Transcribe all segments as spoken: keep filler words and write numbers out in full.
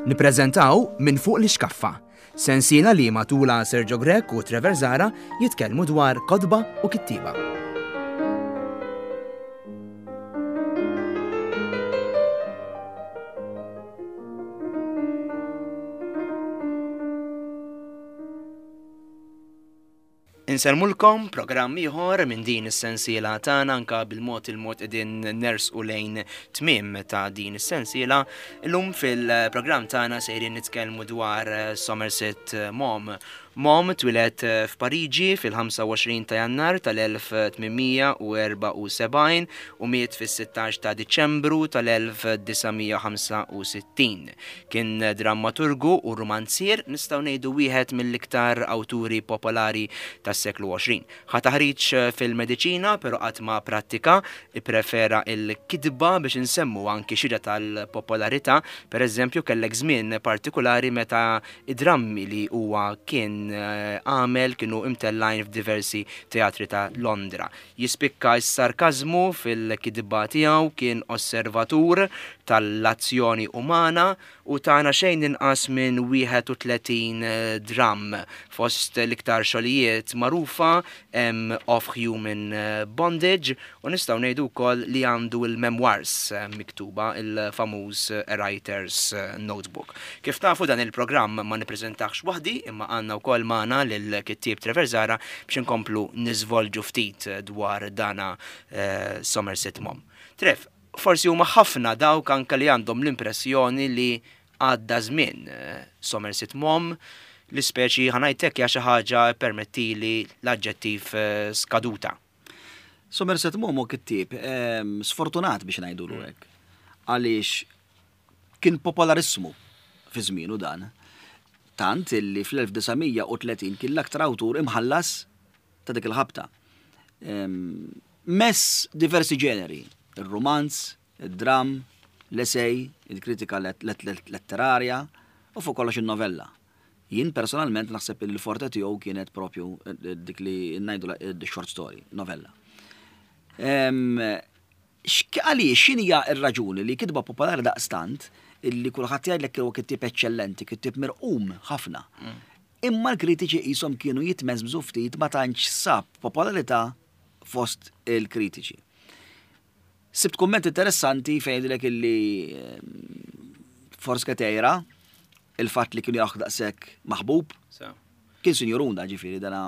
Nippreżentaw Minn Fuq l-Ixkaffa, sensiela li matula Sergio Grech u Trevor Zahra jitkellmu dwar kotba u kittieba. Insellmulkom programm ieħor minn din is-sensiela tagħna, anka bil-mod il-mod qegħdin nersqu lejn tmiem ta' din is-sensiela. Illum fil-programm tagħna sejrin nitkellmu dwar Somerset Maugham. Maugham twieled f'Pariġi fil-ħamsa u għoxrin ta' Jannar tal-elf tmien mija u erbgħa u sebgħin u miet fis-sittax ta' Diċembru tal-elf disa' mija u ħamsa u sittin. Kien drammaturgu u romanzier, nistgħu ngħidu wieħed mill-iktar awturi popolari tas-seklu għoxrin. Ħa taħriġ fil-mediċina, però qatt ma prattika, ipprefera il-kitba biex insemmu anki xhieda tal-popolarità. Per eżempju, kellek żmien partikolari meta id-drammi li huwa kien għamel kienu imtellajn f'diversi teatri ta' Londra. Jispikka s-sarkazmu fil-kitba tiegħu, kien osservatur tal-azzjoni umana u tana xejn inqas minn wieħed u tletin dramm. Fost l-iktar xogħlijiet magħrufa hemm Of Human Bondage u nistgħu ngħidu wkoll li għandu l-memoirs miktuba, il-famuż Writer's Notebook. Kif tafu, dan il-programm ma nippreżentax waħdi, imma għandna wkoll magħna lill-kittieb Trevor Zahra biex inkomplu niżvolġu ftit dwar dana, eh, Somerset Maugham. Trev, forsi huma ħafna dawk anke li għandhom l-impressjoni li għadda żmien, eh, Somerset Maugham, l-ispeċi ħanajtek hija xi ħaġa permettili l-aġġettiv, eh, skaduta. Somerset Maugham hu kittieb, ehm, sfortunat biex ngħidulu Mm. hekk. Għaliex kien popolarissmu fi żmienu dan. Tant illi fl-elf disa' mija u tletin kien l-aktar awtur imħallas ta' dik il-ħabta. Ehm, mess diversi ġeneri, il-romanz, il-dram, l-essay, il-kritika let-, let-, let-, letterarja u fuq kollox il-novella. Jien personalment naħseb li l-forte tiegħu kienet propju dik li ngħidu la-, short story, novella. Ehm, x'k-, għaliex x'inhi hija r-raġuni li kitba popolari daqstant illi kulħadd jgħidlek huwa kittieb eċċellenti, kittieb mirqum ħafna. Mm. Imma l-kritiċi qishom kienu jitmeżmżu ftit ma tantx sab popolarità fost il-kritiċi. Sibt kumment interessanti fejn jgħidlek illi, ehm, forsi ketejra il-fatt li kienu jaħ daqshekk maħbub. So. Kien sinjurunda, ġifieri, dana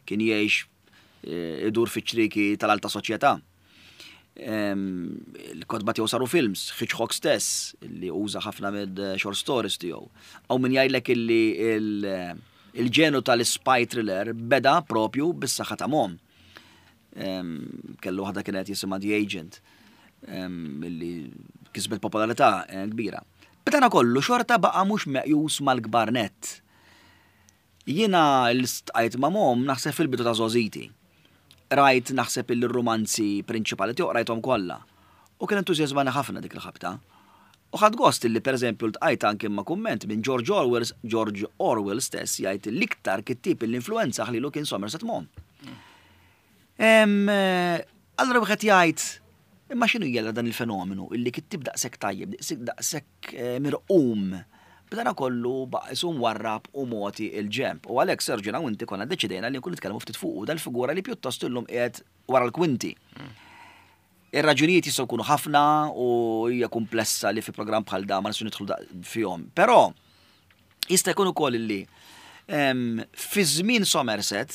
kien jgħix, eh, idur fiċ-ċriki tal-alta soċjetà. Ehm, il-kotba tiegħu saru films, Hitchcock stess, li uża ħafna mid short stories tiegħu. Hawn min jgħidlek illi il-, il-ġenu tal-spy thriller beda propju bis-saħħa ta' Maugham. Ehm, kellu waħda kienet jisimha The Agent, ehm, illi kisbet popolarità, eh, kbira. B'dana kollu xorta baqa' mhux meqjus mal-kbar nett. Jiena l-istqajt ma' Maugham naħseb fil-bidu ta' żgħożiti. Rajt naħseb il-romanzi prinċipali tiegħu rajthom kollha. U kien entużjażmani ħafna dik il-ħabta. U ħadd gost illi pereżempju ltqajt anke ma' kumment minn George Orwell, George Orwell stess jgħid l-iktar kittieb l-influenza ħlilu kien Somerset Maugham. Em, allora wieħed jgħid, imma x'inhu jgħidha dan il-fenomenu illi kittieb daqshekk tajjeb, daqshekk, daqshekk, eh, mirqum, b'dana kollu baqa' isum warrab u moti il-ġemp. U għalhekk Sergio u inti konna deċidejna li nkunu nitkellmu ftit fuq dal-figura li pjuttost illum qiegħed wara l-kwinti. Ir-raġunijiet jistgħu jkunu ħafna u hija komplessa li fi programm bħal da ma nistgħu nidħlu da-, fihom. Però jista' jkun ukoll illi, em, fi żmien Somerset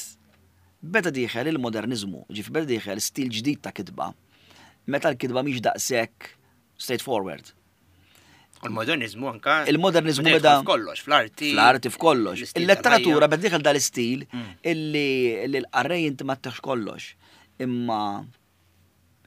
beda dieħel il-modernizmu, ġifieri beda dieħel stil ġdid ta' kitba, meta l-kitba mhix daqshekk straightforward. U l-modernizmu anka Il-modernizmu beda beda jidħol f'kollox, fl-arti, fl-arti f'kollox. l-istil Il-letteratura tal-ħajja. beda dieħel dal-istil Mm. illi, illi l-qarrej inti ma teħx kollox. Imma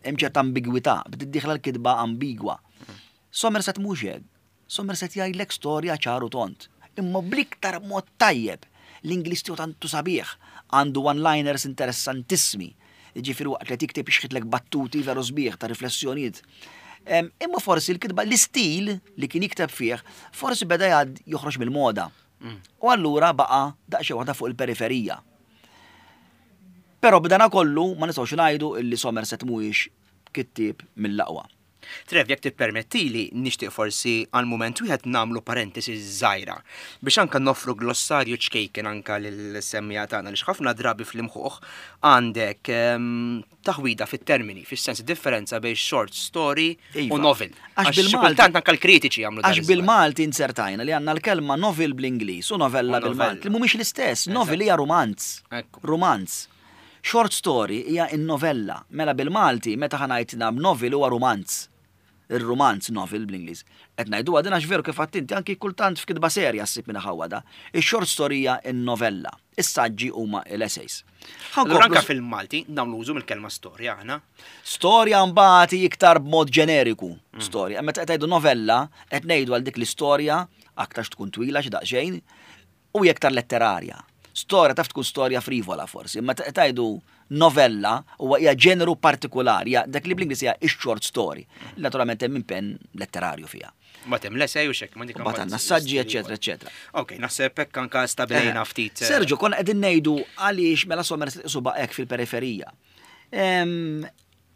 hemm ċerta ambigwità, bdiet dieħla l-kitba ambigwa. Mm. Somerset mhux hekk. Somerset jgħidlek storja ċaru tont. Imma bl-iktar mod tajjeb. L-Ingliż tiegħu tantu sabiħ, għandu one-liners interessantissimi. Jiġifieri waqt li tikteb ixħitlek battuti veru sbieħ ta' riflessjonijiet. Em, imma forsi l-kitba, l-istil li kien jikteb fih, forsi beda jgħad joħroġ mill-moda. Mm. U allura baqa' daqsxejn waħda fuq il-periferija. Però b'dana kollu ma nistgħux ngħidu illi Somerset mhuwiex kittieb mill-aqwa. Trev, jekk tippermettili, nixtieq forsi għal mument wieħed nagħmlu parentesi żgħira biex anka noffru glossarju ċkejken anka lill-semmiegħa tagħna li ħafna drabi fl-imħuħ għandek ehm, taħwida fit-termini, fis-sens differenza bejn short story u Iva. novel. Għax Għax xi bil-Malti- kultant anka l-kritiċi jagħmlu dan Għax iż-żball. bil-Malti insertajna li għandna l-kelma novel bl-Ingliż u novella U novella. bil-Malti, li mhumiex l-istess. Novel hija romanz. Ekku. Romanz. Short story hija in-novella. Mela bil-Malti meta ħa ngħidu novel huwa romanz. Il-romanz novel bl-Ingliż. Qed ngħidu din għax veru kif inti anki kultant f'kitba serja ssib minna ħawada. Ix-short story hija in-novella. Is-saġġi huma l-essays. Allura anka fil-Malti nagħmlu użu mill-kelma storja aħna. Storja mbagħad iktar b'mod ġeneriku. Storja. Meta qed ngħidu novella, qed ngħidu għal dik l-istorja aktarx tkun twila xi daqsxejn u iktar letterarja. Storja taf tkun storja frivola forsi, imma qed tgħidu novella huwa hija ġeneru partikolari, hija dak li bl-Ingliż hija ix-short story. Naturalment hemm impenn letterarju fiha. Ma hemm l-essay u xek, ma dik Mbagħad għandna saġġi, eċetera, eċetera. Ok, naħseb hekk anka stabilejna ftit. eh, Sergio, konna qegħdin ngħidu għaliex mela Somerset suba hekk fil-periferija. Em,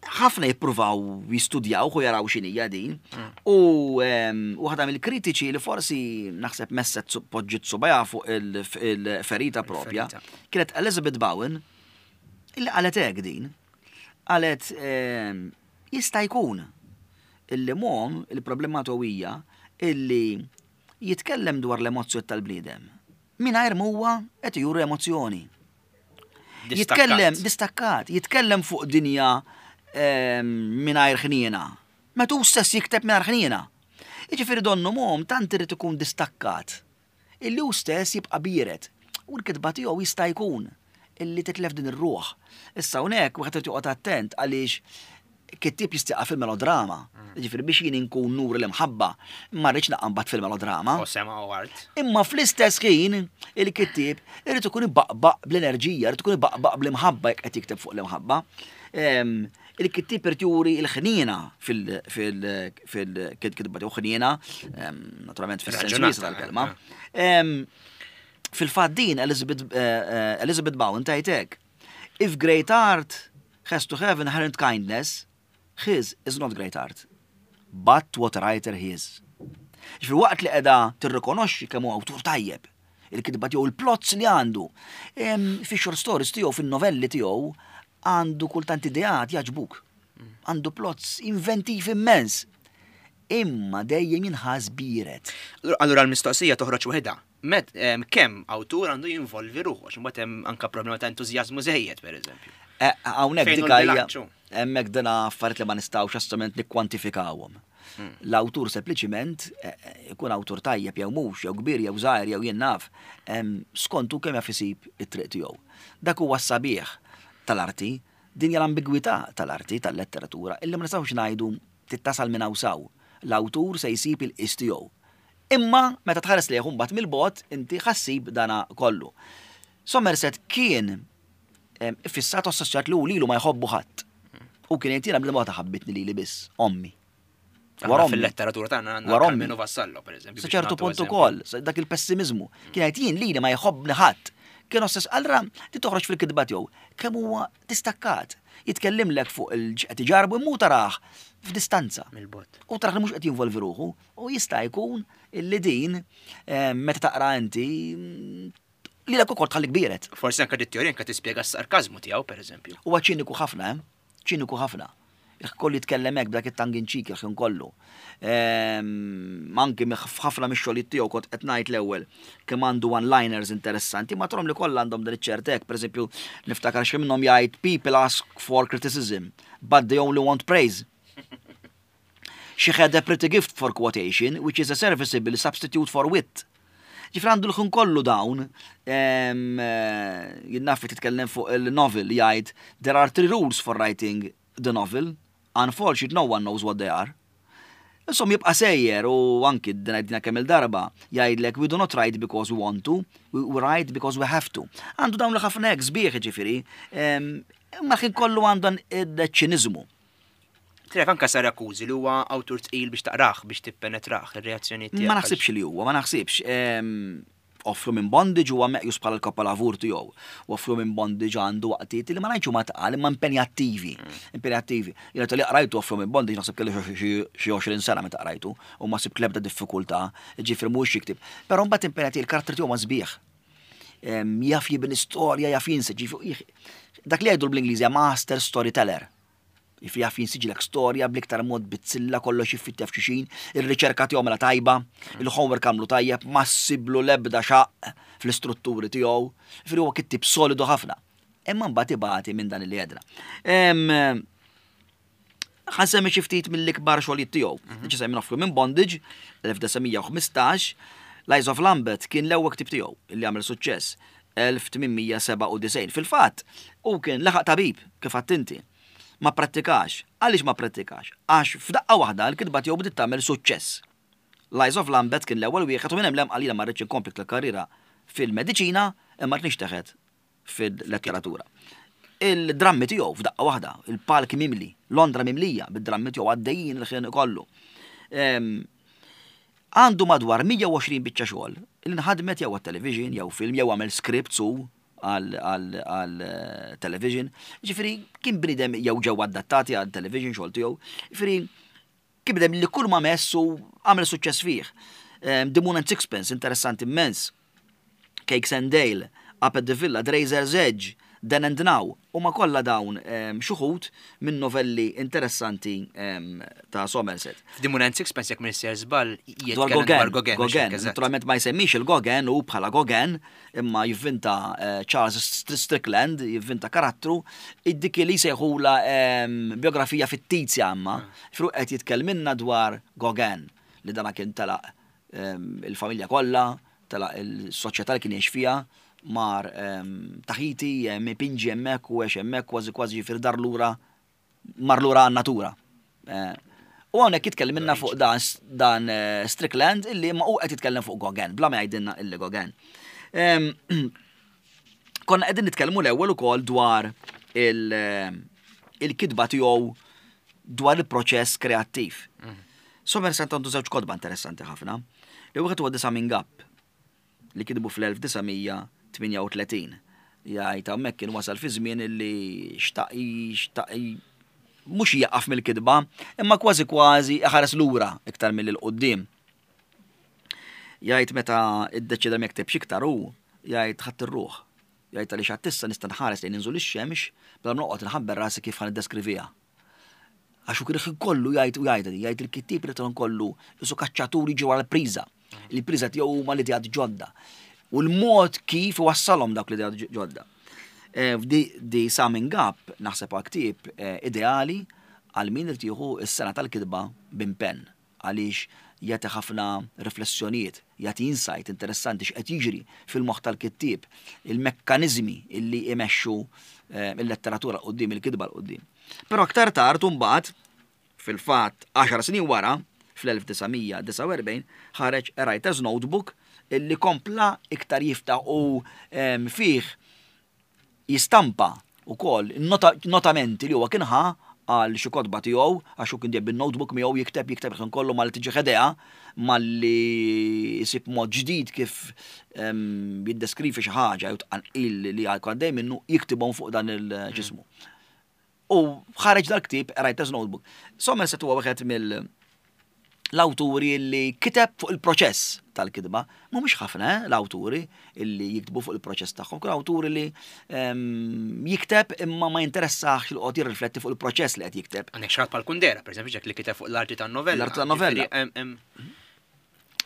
Ħafna jippruvaw jistudjaw u jaraw x'inhija din. U em, waħda mill-kritiċi li forsi naħseb messet su- poġġiet subgħajha fuq il- il-ferita propja, Il-ferita. kienet Elizabeth Bowen, illi qalet hekk din. Qalet em, jista' jkun illi Maugham il-problema tiegħu hija illi jitkellem dwar l-emozzjoni tal-bniedem. Mingħajr huwa qed juri emozzjoni. Distakkat. Jitkellem distakkat, jitkellem fuq dinja em, mingħajr ħniena. Meta hu stess jikteb mingħajr ħniena. Jiġifieri donnu Maugham tant irid ikun distakkat. Illi hu stess jibqa' biered. U l-kitba tiegħu jista' jkun illi titlef din ir-ruħ. Issa hawnhekk wieħed irid joqgħod attent għaliex kittib jista' fil-melodrama. Ġifieri biex jien inkun nur l-imħabba, ma rridx naqa' mbagħad fil-melodrama. U sema u art. Imma fl-istess ħin il-kittieb irid ikun ibaqbaq bl-enerġija, irid ikun ibaqbaq bl-imħabba jekk qed jikteb fuq l-imħabba. Em, Il-kittieb irid juri l-ħniena fil-kitba tiegħu ħniena, em, naturalment fis-sens Raġunata, wiesa' tal-kelma. Em, Fil-fatt din Elizabeth, eh, eh, Elizabeth Bowen tgħid If great art has to have inherent kindness, his is not great art. But what a writer he is. Ġifieri waqt li qiegħda tirrikonoxxi kemm huwa awtur tajjeb, il-kitba tiegħu il-plots li għandu, em, fi short stories tiegħu, fin-novelli tiegħu, għandu kultant ideat jogħġbuk. Għandu plots inventiv immens. Imma dejjem jinħass biered. Allura l-mistoqsija toħroġ waħedha. Met em, kemm awtur għandu jinvolvi ruħu, għax imbagħad hemm anka problema ta' entużjażmu żejjed pereżempju. Eh, Hawnhekk Fejn hu dik hija l-bilanċu? hemmhekk dina affarijiet li ma nistgħux assolutament nikkwantifikawhom. L-awtur sempliċiment eh, eh, ikun awtur tajjeb jew mhux, jew kbir jew żgħir jew jien naf, em, skontu kemm jaf isib it-triq tiegħu. Dak huwa s-sabiħ tal-arti, din hija l-ambigwità tal-arti, tal-letteratura, illi ma nistgħux ngħidu tittasal minn hawn s'hawn. L-awtur se jsib il-qis tiegħu. Imma meta tħares lejh mbagħad mill-bogħod inti ħa ssib dana kollu. Somerset kien em, fissat assoċjat li hu lilu ma jħobbu ħadd. U kien jgħid jiena bla ma ħabbitni lili biss, ommi. Aħna Wara ommi. fil-letteratura tagħna għandna Wara ommi. Karmenu Vassallo pereżempju. Sa biex ċertu nagħtu punt eżempju. ukoll, sa dak il-pessimizmu. Kien jgħid jien lili ma jħobbni ħadd. Kien ossess allura ti toħroġ fil-kitba tiegħu kemm huwa distakkat. Jitkellimlek fuq il qed iġarbu imma hu tarah f'distanza. Mill-bogħod. U tarah li mhux qed jinvolvi ruħu u jista' jkun illi din eh, meta taqra inti mm, li l ukoll tħallik biered. Forsi anka dit-teorija anka tispjega s-sarkażmu tiegħu pereżempju. Huwa ċiniku ħafna, eh? ċiniku ħafna. Kollu jitkellem hekk b'dak it-tongue in cheek il-ħin kollu. Ehm, Anki ħafna mix-xogħlijiet tiegħu kont qed ngħid l-ewwel kemm għandu one-liners interessanti, ma trom li kollha għandhom dan iċ-ċertek, pereżempju niftakar xi minnhom jgħid people ask for criticism, but they only want praise. She had a pretty gift for quotation, which is a serviceable substitute for wit. Ġifieri għandu l-ħin kollu dawn, em, eh, jien naf titkellem fuq il-novel jgħid, there are three rules for writing the novel, unfortunately no one knows what they are. Insomma jibqa' sejjer u anki dina kemm il-darba jgħidlek we do not write because we want to, we we write because we have to. Għandu dawn li ħafna hekk sbieħ ġifieri, em, imma l-ħin kollu għandu dan il-ċiniżmu. Tref anka sar akkużi li huwa awtur tqil biex taqrah, biex tippenetrah ir-reazzjoni tiegħek. Ma naħsibx li huwa, ma naħsibx. Em, Of Human Bondage huwa meqjus bħala l-kapolavur tiegħu. U Of Human Bondage għandu waqtiet li ma ngħidx huma tqal imma impenjattivi. Impenjattivi. Jiena li qrajtu Of Human Bondage naħseb kelli xi xi għoxrin sena meta qrajtu u ma sibt l-ebda diffikultà, ġifieri mhux jiktib. Però mbagħad impenjattiv, il-karattri tiegħu ma sbieħ. Em, Jaf jibni storja, jaf jinseġ, ġifieri, dak li jgħidu bl-Ingliż master storyteller. Jiġifieri jaf jinsiġilek storja bl-iktar mod bizzilla, kollox jiffittja f'xulxin, ir-riċerka tiegħu mela tajba, il-homework għamlu tajjeb, ma ssiblu l-ebda xaq fl-istrutturi tiegħu. Jiġifieri huwa kittib solidu ħafna. Imma mbagħad ibati minn dan li għedna. Em, Ħa nsemmi xi ftit mill-ikbar xogħlijiet tiegħu. Diġà semmi Of Human Bondage, elf disa' mija u ħmistax, Lies of Lambeth kien l-ewwel ktib tiegħu li għamel suċċess elf tmien mija sebgħa u disgħin. Fil-fatt, hu kien laħaq tabib kif inti. Ma prattikax. Għaliex ma prattikax? Għax f'daqqa waħda l-kitba tiegħu bdiet tagħmel suċċess. Lies of Lambeth kien l-ewwel wieħed u minn hemm 'l hemm qalilha ma rridx inkompli l-karriera fil-mediċina imma rrid nixteħet fil-letteratura. Il-drammi tiegħu f'daqqa waħda, il-palk mimli, Londra mimlija bid-drammi tiegħu għaddejjin il-ħin kollu. Em, Għandu madwar mija u għoxrin biċċa xogħol li nħadmet jew għat-television, jew film, jew għamel scripts u għal għal- għal eh, television. Ġifieri kien bniedem jew ġew adattati għal television xogħol tiegħu. Ġifieri kien bniedem li kull ma messu għamel suċċess fih. Em, The Moon and Sixpence, interessanti immens. Cakes and Ale, Up at the Villa, The Razor's Edge, Then and Now, u ma kollha dawn em, xi wħud minn novelli interessanti em, ta' Somerset. F'The Moon and Sixpence, jekk m'iniex żball, Dwar jitkellem Gauguin, dwar Gauguin. Gauguin, mhux hekk, eżatt. naturalment ma jsemmix il-Gauguin u bħala Gauguin, imma jivvinta eh, Charles St- Strickland, jivvinta karattru, id-dik li sejħula em, biografija fittizja imma, fru qed jitkellminna dwar Gauguin, li dana kien telaq em, il-familja kollha, telaq il-soċjetà li kien jgħix fiha, mar em, Tahiti, em, ipinġi hemmhekk u għex hemmhekk kważi kważi ġifieri dar lura mar lura għan-natura. Eh, U hawnhekk jitkellimilna fuq dan, dan eh, Strickland illi ma hu qed jitkellem fuq Gauguin, bla ma jgħidilna illi Gauguin. Em, Konna qegħdin nitkellmu l-ewwel ukoll dwar il- eh, il-kitba tiegħu dwar il-proċess kreattiv. Somerset għandu żewġ kotba interessanti ħafna. Li wieħed huwa The Summing Up li kitbu fl-elf disa' mija tmienja u tletin. Jgħid hawnhekk kien wasal fi żmien illi xtaq xtaq mhux jaqaf mill-kitba, imma kważi kważi ħares lura iktar milli 'l quddiem. Jgħid meta iddeċida ma jektibx iktar hu, jgħid ħadd ir-ruħ. Jgħid għaliex għad issa nista' nħares lejn inżul ix-xemx bla ma noqgħod nħabber rasi kif ħa niddeskriviha. Għax hu kien kollu jgħid u jgħid jgħid il-kittib li kollu isu kaċċaturi ġew għal priża. Il-priża tiegħu huma l-ideat ġodda. U l-mod kif wassalhom dawk l-ideat ġodda. Eh, Di, di Summing Up naħseb huwa ktieb eh, ideali għal min irid jieħu s-sengħa tal-kitba b'impenn għaliex jagħti ħafna riflessjonijiet, jagħti insight interessanti x'qed jiġri fil-moħħ tal-kittieb, il-mekkaniżmi illi imexxu eh, il-letteratura quddiem, il-kitba 'l quddiem. Però aktar tard mbagħad fil-fatt għaxar snin wara, fl-elf disa' mija disgħa u erbgħin, ħareġ A Writer's Notebook illi kompla iktar jiftaħ u em, fih jistampa ukoll nota, notamenti li huwa kien ħa għal xi kotba tiegħu, għax hu kien dejjem bin-notebook miegħu jikteb jikteb il kollu mal tiġi idea malli jsib mod ġdid kif em, jiddeskrivi xi ħaġa jew tqanqil li għaddej minnu jiktibhom fuq dan il-ġismu. U ħareġ dal-ktieb A Writer's Notebook. Somerset huwa wieħed mill l-awturi li kiteb fuq il-proċess tal-kitba. Mhumiex ħafna eh, l-awturi illi jiktbu fuq il-proċess tagħhom. Kull awturi li em, jikteb imma ma jinteressax li qed jirrifletti fuq il-proċess li qed jikteb. Għandek xi ħadd bħal Kundera, per eżempju, ġek li kiteb fuq l-arti tan-novella. L-arti tan-novella. Ġifieri, em- em,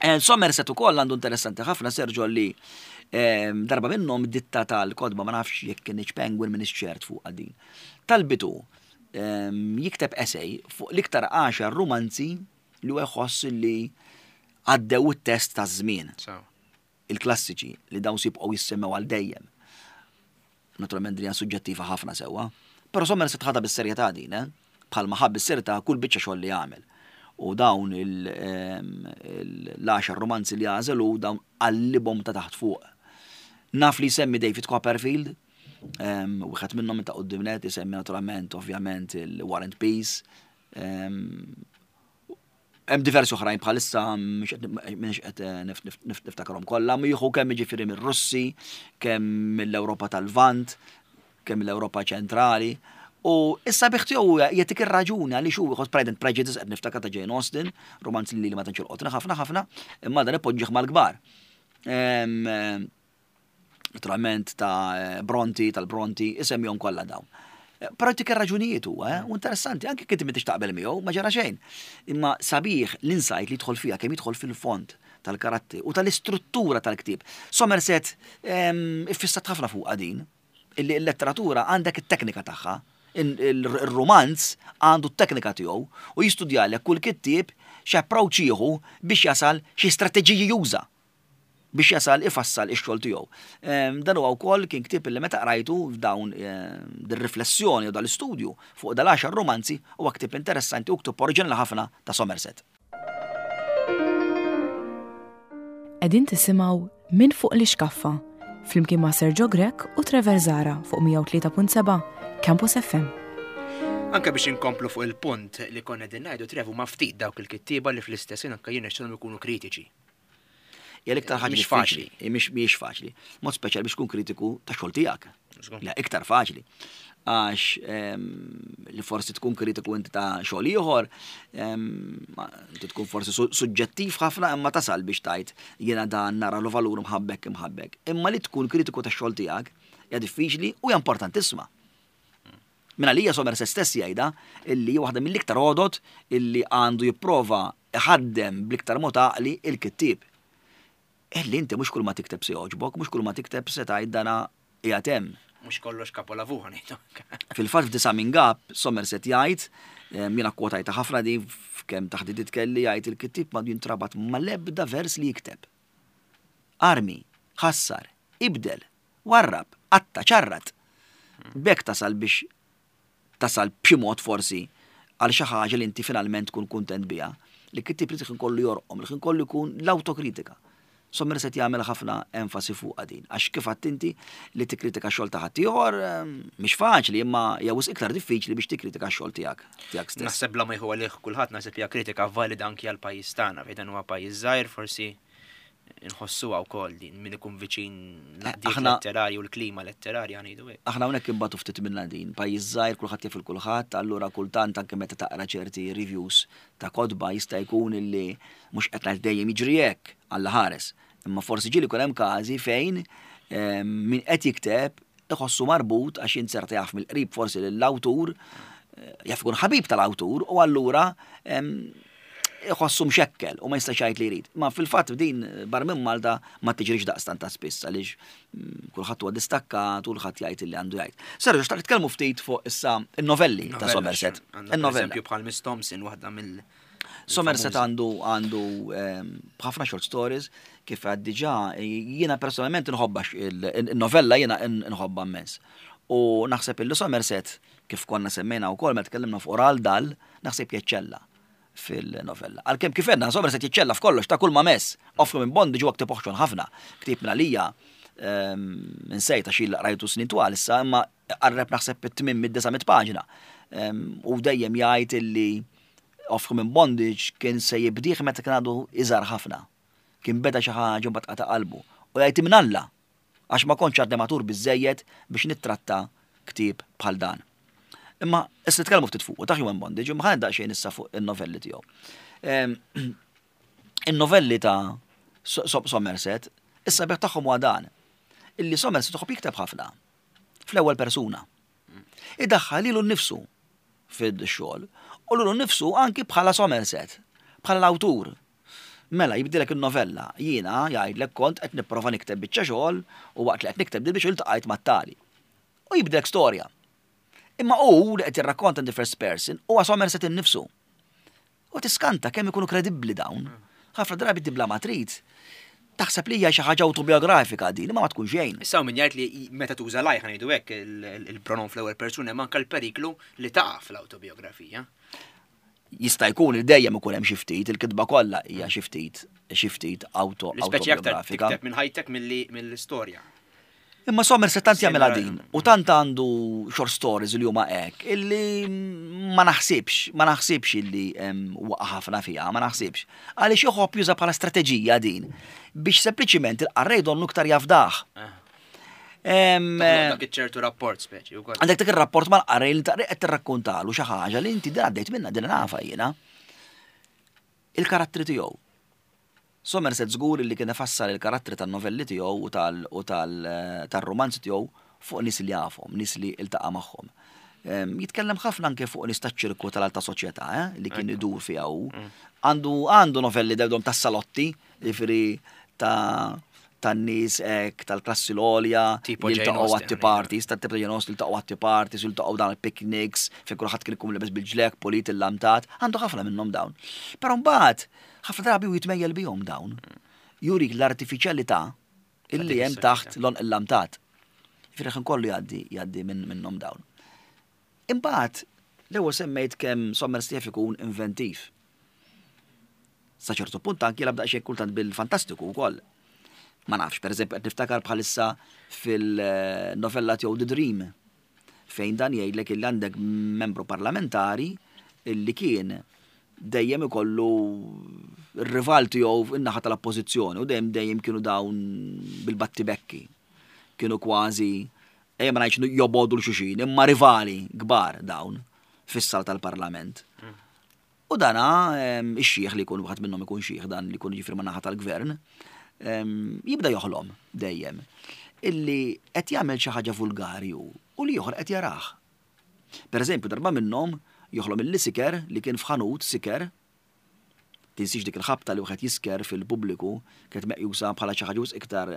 Eh, Somerset ukoll għandu interessanti ħafna, Sergio, li em, darba minnhom ditta tal-kotba, ma nafx jekk kienx Penguin, minn ċert fuq din. Talbitu em, jikteb essay fuq l-iktar għaxar romanzi li huwa jħoss li għaddew it-test ta' żmien, So. il-klassiċi li dawn jibqgħu jissemmew għal dejjem. Naturalment din hija suġġettiva ħafna sewwa, però Somerset ħadha bis-serjetà din, eh? Bħalma ħa bis-serjetà kull biċċa xogħol li jagħmel. U dawn il- em, il- l-għaxar romanzi li għażel u dawn qallibhom ta' taħt fuq. Naf li jsemmi David Copperfield, em, wieħed minnhom minn ta' quddiem net, isemmi naturalment ovvjament il-War and Peace, em, Hemm diversi oħrajn bħalissa mhux qed niftakarhom kollha, jieħu kemm jiġifieri mir-Russi, kemm mill-Ewropa tal-Lvant, kemm mill-Ewropa ċentrali. U issa sabiħ tiegħu jagħtik ir-raġuni għaliex hu jieħu Pride and Prejudice, qed niftakar ta' Jane Austen, romanz li ma tantx jolqotni ħafna ħafna, imma dan ipoġġih mal-kbar. Naturalment ta' Bronte, tal-Bronte, isemmihom kollha dawn. Però jtik ir-raġunijiet huwa, eh? U interessanti, anke kif m'intix taqbel miegħu, ma ġara xejn. Imma sabiħ l-insight li jidħol fiha, kemm jidħol fil-fond tal-karattri u tal-istruttura tal-ktieb. Somerset iffissat ħafna fuq din, illi l-letteratura għandek it-teknika tagħha, il-romanz għandu t-teknika tiegħu u jistudjalek kull kittieb x'approach jieħu biex jasal, xi strateġiji juża biex jasal ifassal ix-xogħol tiegħu. Dan huwa wkoll kien ktieb li meta qrajtu f'dawn dir-riflessjoni u dal-istudju fuq dal-għaxar romanzi, huwa ktieb interessanti u ktieb oriġinali ħafna ta' Somerset. Qegħdin tisimgħu Minn Fuq l-Ixkaffa flimkien ma' Sergio Grech u Trevor Zahra fuq mija u tlieta punt seba' Campus F M. Anka biex inkomplu fuq il-punt li konna din ngħidu, Trevu, ma ftit dawk il-kittieba li fl-istess anka jirnexxilhom ikunu kritiċi. Hija l-iktar ħaġa Mhix diffiċli. Faċli. Mhix mhix faċli. Mod speċjali biex tkun kritiku ta' xogħol tiegħek. La iktar faċli. Għax li forsi tkun kritiku inti ta' xogħol ieħor, inti tkun forsi suġġettiv ħafna, imma tasal biex tgħid jiena dan nara lu valur mħabbek imħabbek. Imma li tkun kritiku ta' xogħol tiegħek hija diffiċli u hija importantissima. Min għalija Somerset stess jgħidha illi waħda mill-iktar għodod illi għandu jipprova iħaddem bl-iktar mod għaqli il-kittieb. Illi inti mhux kull ma tikteb se jogħġbok, mhux kull ma tikteb se tgħid dana qiegħed hemm. Mhux kollox kapolavur ngħidu. Fil-fatt f'Disa' minn Gap, Somerset jgħid, jiena kwotajta ħafna di f'kemm taħdidiet kelli, jgħid il-kittieb ma jintrabat mal-ebda vers li jikteb. Armi, ħassar, ibdel, warrab, qatta, ċarrat. B'hekk tasal biex tasal b'xi mod forsi għal xi ħaġa li inti finalment tkun kuntent biha. Li kittieb li tkun kollu jorqom, li tkun kollu jkun l-autokritika. Somerset jagħmel ħafna enfasi fuq din, għax kif għedt inti, li tikkritika xogħol ta' ħaddieħor mhix faċli, imma hija wisq iktar diffiċli biex tikkritika xogħol tiegħek tiegħek stess. Naħseb bla ma jieħu għalih kulħadd, naħseb hija kritika valida anki għal pajjiż tagħna, fejn dan huwa pajjiż żgħir, forsi nħossuha wkoll din min ikun viċin Eh, dik aħna- letterarju u l-klima letterarja, ngħidu hekk. Aħna hawnhekk imbagħtu ftit minna din, pajjiż żgħir, kulħadd jaf il kulħadd, allura kultant anke meta taqra ċerti reviews ta' kotba jista' jkun illi mhux qed ngħid dejjem jiġri hekk, Alla ħares. Imma forsi ġieli jkun hemm każi fejn ehm, min qed jikteb iħossu marbut għax jinzerta jaf mill-qrib forsi lill-awtur, eh, jaf ikun ħabib tal-awtur u allura ehm, iħossu mxekkel u ma jistax jgħid li jrid. Ma fil-fatt din barra minn Malta ma tiġrix daqstant ta' spiss għaliex mm, kulħadd huwa distakkat u kulħadd jgħid li għandu jgħid. Sergio, xtaqt nitkellmu ftit fuq issa in-novelli ta' Novella, Somerset. għandna In-novella. Eżempju bħal Miss Thompson, waħda mill Somerset famużi. għandu għandu ehm, ħafna short stories, kif għad diġà jiena personalment nħobba il-novella, jiena nħobba immens. U naħseb illi Somerset, kif konna semmejna wkoll meta tkellimna fuq Roald Dahl, naħseb jeċċella fil-novella. Għalkemm kif għedna, Somerset jiċċella f'kollox, ta' kull ma mess. Of Human Bondage huwa ktieb oħxon ħafna. Ktieb minn għalija nsejt għax il rajtu snin twal issa, imma qarreb naħseb it-tmien mid-disa' paġna. U dejjem jgħid illi Of Human Bondage kien se jibdih meta kien għadu iżgħar ħafna. Kien beda xi ħaġa u mbagħad qata' qalbu. U jgħid minn Alla għax ma kontx għadni matur biżejjed biex nittratta ktieb bħal dan. Imma issa nitkellmu ftit fuq ta' Human Bondage, imma ħa daqsxejn issa fuq in-novelli tiegħu. Em, In-novelli ta' So- So- Somerset, issa sabiħ tagħhom huwa dan. Illi Somerset iħobb jikteb ħafna fl-ewwel persuna. Idaħħal lilu nnifsu fid-xogħol u lilu nnifsu anki bħala Somerset, bħala l-awtur. Mela jibdilek il-novella, jiena jgħidlek kont qed nipprova nikteb biċċa xogħol u waqt li qed nikteb dil biċċa iltqajt mat-tali. U jibdilek storja. Imma hu li qed jirrakkonta in the first person huwa Somerset innifsu. U tiskanta kemm ikunu kredibbli dawn. Ħafna drabi tibla ma trid. Taħseb li hija xi ħaġa autobiografika din, imma ma tkun xejn. Issa min jgħid li meta tuża l-I, ħa ngħidu hekk, il-pronom fl-ewwel persuna, hemm anke l-periklu li taqa' fl-autobiografija. Jista' jkun li dejjem ikun hemm xi ftit, il-kitba kollha hija xi ftit xi ftit auto L-ispeċi aktar autobiografika. tikteb minn ħajtek milli mill-istorja. Imma Somerset tant jagħmilha din u tant għandu short stories li huma hekk illi ma naħsibx, ma naħsibx illi waqa' ħafna fiha, ma naħsibx. Għaliex joħobb juża bħala strateġija din biex sempliċiment il-qarrej donnu iktar jafdah. Dak ċertu rapport speċi. Għandek dak ir-rapport mal-qarrej li taqri qed tirrakkontalu xi ħaġa li inti din għaddejt minna, din nafa jiena. Il-karattri tiegħu. Somerset żgur li kien ifassal il-karattri tan-novelli tiegħu u tal-romanzi tiegħu fuq nies li jafhom, nies li iltaqa' magħhom. Jitkellem ħafna anke fuq nies taċ-ċirku tal-alta soċjetà, eh, li kien idur fiha hu. Għandu għandu novelli dewdom tas-salotti, jiġifieri ta' tan-nies hekk tal-klassi l-għolja, jiltaqgħu għat parties, tat-tip ta' Jane Austen, jiltaqgħu għat parties, jiltaqgħu dan il-picnics, fejn kulħadd kien ikun lebes bil-ġlek, pulit illamtat, għandu ħafna minnhom dawn. Però mbagħad ħafna drabi u jitmejjel bihom dawn. Jurik l-artifiċjalità illi hemm taħt l-għonq illamtat. Jiġifieri kollu jgħaddi jgħaddi minnhom dawn. Imbagħad l-ewwel semmejt kemm Somerset jaf ikun inventiv. Sa ċertu punt anki jilgħab daqsxejn kultant bil-fantastiku wkoll. Ma nafx, per eżempju, qed niftakar bħalissa fil-novella tiegħu The Dream, fejn dan jgħidlek illi għandek membru parlamentari illi kien dejjem ikollu r-rival tiegħu in-naħa tal-oppożizzjoni u dejjem dejjem kienu dawn bil-battibekki. Kienu kważi, ejja ma ngħidx jobogħdu 'l xulxin, imma rivali kbar dawn fis-sal tal-parlament. U dana ix-xieħ li jkun wieħed minnhom ikun xieħ dan li jkun jiġifieri man-naħa tal-gvern, jibda joħlom dejjem illi qed jagħmel xi ħaġa vulgari u l-ieħor qed jarah. Per eżempju, darba minnhom joħlom illi siker li kien f'ħanut siker, tinsiex dik il-ħabta li wieħed jisker fil-pubbliku kienet meqjusa bħala xi ħaġa iktar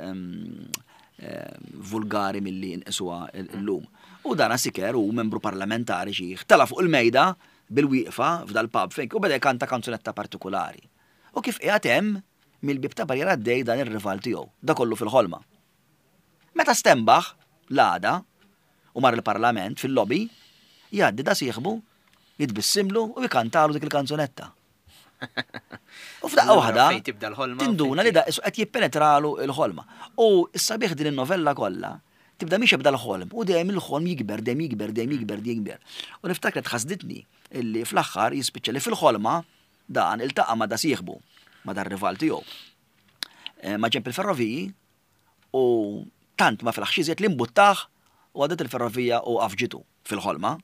vulgari milli nqisuha llum. U dana siker u membru parlamentari xieħ tela' fuq il-mejda bil-wieqfa f'dal-pub fejn u beda jkanta kanzunetta partikolari. U kif qiegħed hemm mill-bib ta' barriera għaddej dan ir-rival tiegħu, da kollu fil-ħolma. Meta stembaħ l-għada u mar il-parlament fil-lobby, jgħaddi da sieħbu, jitbissimlu u jkantalu dik il-kanzunetta. U f'daqqa waħda tinduna li da qed jippenetralu l-ħolma. U s-sabiħ din in-novella kollha tibda mhix jibda l-ħolm u dejjem il-ħolm jikber, dejjem jikber, dejjem jikber, dejjem jikber. U niftakar tħassditni illi fl-aħħar jispiċċa li fil-ħolma dan iltaqa' ma' da sieħbu, ma' dar rival tiegħu. Ma' ġenb il-ferroviji u tant ma fil-ħax iżjed li mbuttaħ u għadet il-ferrovija u afġitu fil-ħolma.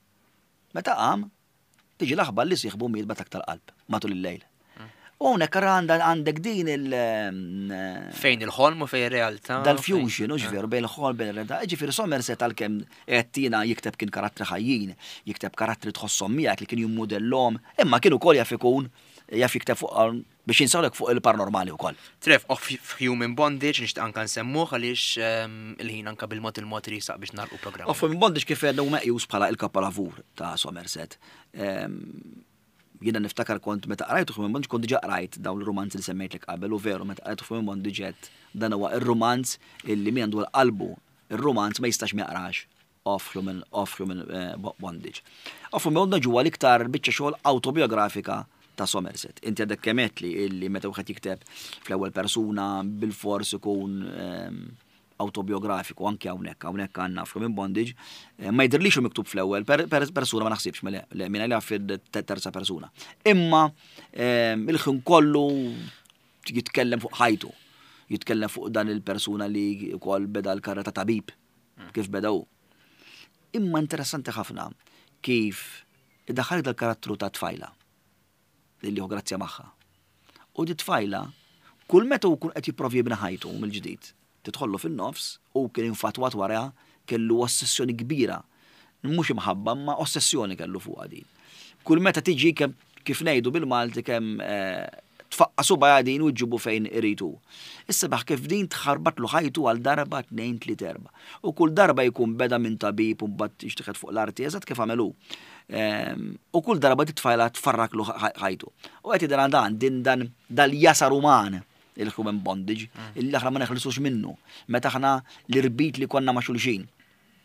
Meta qam, tiġi l-aħbar li sieħbu miet b'attakk tal-qalb matul il-lejl. U hawnhekk għandek din il- Fejn il-ħolm u fejn ir-realtà. Dal-fusion, hux veru, bejn il-ħolm bejn ir-realtà. Ġifieri Somerset għalkemm qed tina jikteb kien karattri ħajjin, jikteb karattri tħosshom miegħek li kien jimmudellhom, imma kien ukoll jaf ikun jaf jikteb fuq biex jinsawlek fuq il-paranormali wkoll. Trev, Of Human Bondage, nixtieq anka nsemmuh għaliex il-ħin anka bil-mod il-mod risaq biex nagħlqu programm. Of Human Bondage kif għedna hu meqjus bħala il-kapolavur ta' Somerset. Jiena niftakar kont meta qrajt Of Human Bondage kont diġà qrajt dawn il-romanzi li semmejtlek qabel u veru meta qrajt Of Human Bondage għedt dan huwa ir-romanz illi min għandu l-qalbu ir-romanz ma jistax ma jaqrax Of Human, Of Human Bondage. Of Human Bondage huwa l-iktar biċċa xogħol autobiografika ta' Somerset. Inti għadek kemm għedt li illi meta wieħed jikteb fl-ewwel persuna bil-fors ikun autobiografiku anke hawnhekk, hawnhekk għandna Of Human Bondage, ma jidhirlix hu miktub fl-ewwel persuna ma naħsibx, mela le, minn għalija fil-terza persuna. Imma il-ħin kollu jitkellem fuq ħajtu, jitkellem fuq dan il-persuna li wkoll beda l-karriera ta' tabib, kif beda hu. Imma interessanti ħafna kif iddaħħal dal-karattru ta' tfajla li hu grazzja magħha. U di tfajla, kull meta hu kun qed jipprovi jibni ħajtu mill-ġdid, tidħollu fin-nofs u kien infatwat wara kellu ossessjoni kbira. Mhux imħabba, ma ossessjoni kellu fuqha din. Kull meta tiġi kemm kif ngħidu bil-Malti kemm tfaqqa subgħa din u ġġibu fejn iridu. Issa baħ kif din tħarbatlu ħajtu għal darba tnejn tliet erba'. U kull darba jkun beda minn tabib u mbagħad jixtieqet fuq l-arti eżatt kif għamelu. U kull darba titfajla tfarraklu ħajtu. U qed jidher dan din dan dal-jasar uman il-human bondage, illi aħna ma neħlisux minnu. Meta aħna l-irbit li konna ma' xulxin.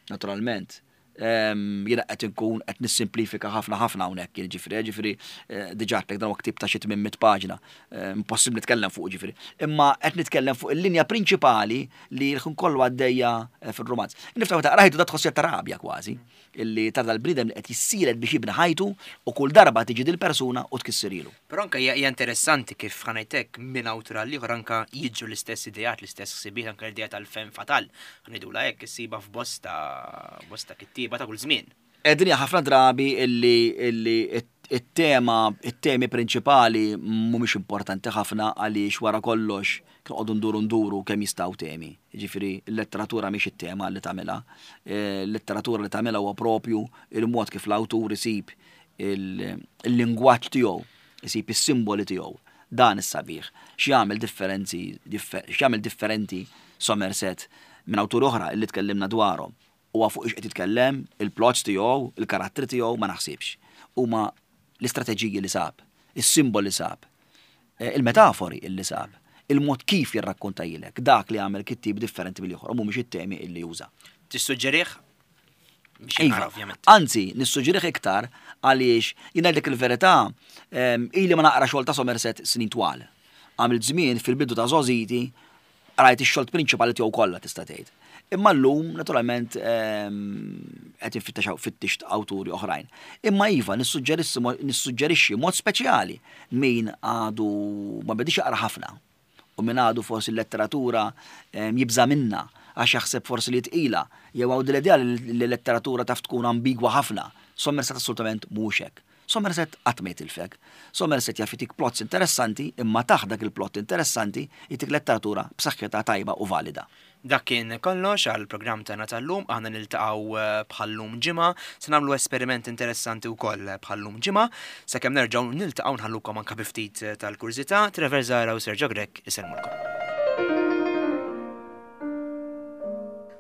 Naturalment, Jiena qed inkun qed nissimplifika ħafna ħafna hawnhekk, jiġifieri, ġifieri eh, diġà għedtlek dan huwa ktieb ta' xi tmien mitt paġna, eh, impossibbli nitkellem fuq ġifieri. Imma qed nitkellem fuq il-linja prinċipali li l-ħin kollu għaddejja eh, fir-rumanz. Niftaħ ta' rajtu da tħossja ta' rabja kważi, illi ta' dal-bniedem li qed jissielet biex jibni ħajtu u kull darba tiġi dil-persuna u tkissirilu. Però anke hija hija interessanti kif ħa ngħidlek minn awtur għal ieħor anke jiġu l-istess ideat, l-istess ħsibiet, anke l-idea tal-femme fatale. Ħa ngħidulha hekk issiba f'bosta bosta kittieba ta' kull żmien. Edin ħafna drabi illi illi it-tema, it-temi prinċipali mhumiex importanti ħafna għaliex wara kollox noqogħdu nduru nduru kemm jistgħu temi. Jiġifieri l-letteratura mhix it-tema li tagħmilha. Eh, L-letteratura li tagħmilha huwa propju il-mod kif l-awtur isib il-lingwaġġ tiegħu, isib is-simboli tiegħu. Dan is-sabiħ. X'jagħmel differenzi, x'jagħmel differenti Somerset minn awtur oħra illi tkellimna dwarhom. Huwa fuq ix qed jitkellem, il-plots tiegħu, il-karattri tiegħu ma naħsibx. Huma l-istrateġiji li sab, is-simboli sab, eh, il-metafori illi sab, il-mod kif jirrakkontajilek, dak li għamel kittib differenti mill-ieħor, u mhumiex it-temi illi juża. Tissuġġerih? Biex Iva, jinqara ovvjament. Anzi, nissuġġerih iktar għaliex jien ngħidlek il-verità, em, ili ma naqra xogħol ta' Somerset snin twal. Għamilt żmien fil-bidu ta' żgħożiti rajt ix-xogħol prinċipali tiegħu kollha tista' tgħid. Imma llum naturalment em, qed infittex fittixt awturi oħrajn. Imma iva nissuġġerissi nissuġġerixxi mod speċjali min għadu ma bedix jaqra ħafna u min għadu forsi l-letteratura em, jibża minna għax jaħseb forsi li tqila, jew għaw l-idea li l-letteratura taf tkun ambigwa ħafna. Somerset assolutament mhux hekk. Somerset qatt ma jitilfek. Somerset jaf jitik plots interessanti, imma taħt dak il-plot interessanti jitik letteratura b'saħħitha tajba u valida. Dak kien kollox għal programm tagħna tal-lum, aħna niltaqgħu eh, bħallum ġimgħa, se nagħmlu esperiment interessanti wkoll bħallum ġimgħa, sakemm nerġgħu niltaqgħu nħallukom anke bi ftit eh, tal-kurżità, Trevor Zara u Sergio Grech isellmulkom.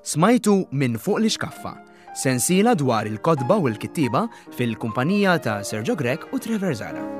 Smajtu minn fuq l-ixkaffa, sensiela dwar il-kotba u l-kittieba fil-kumpanija ta' Sergio Grech u Trevor Zara.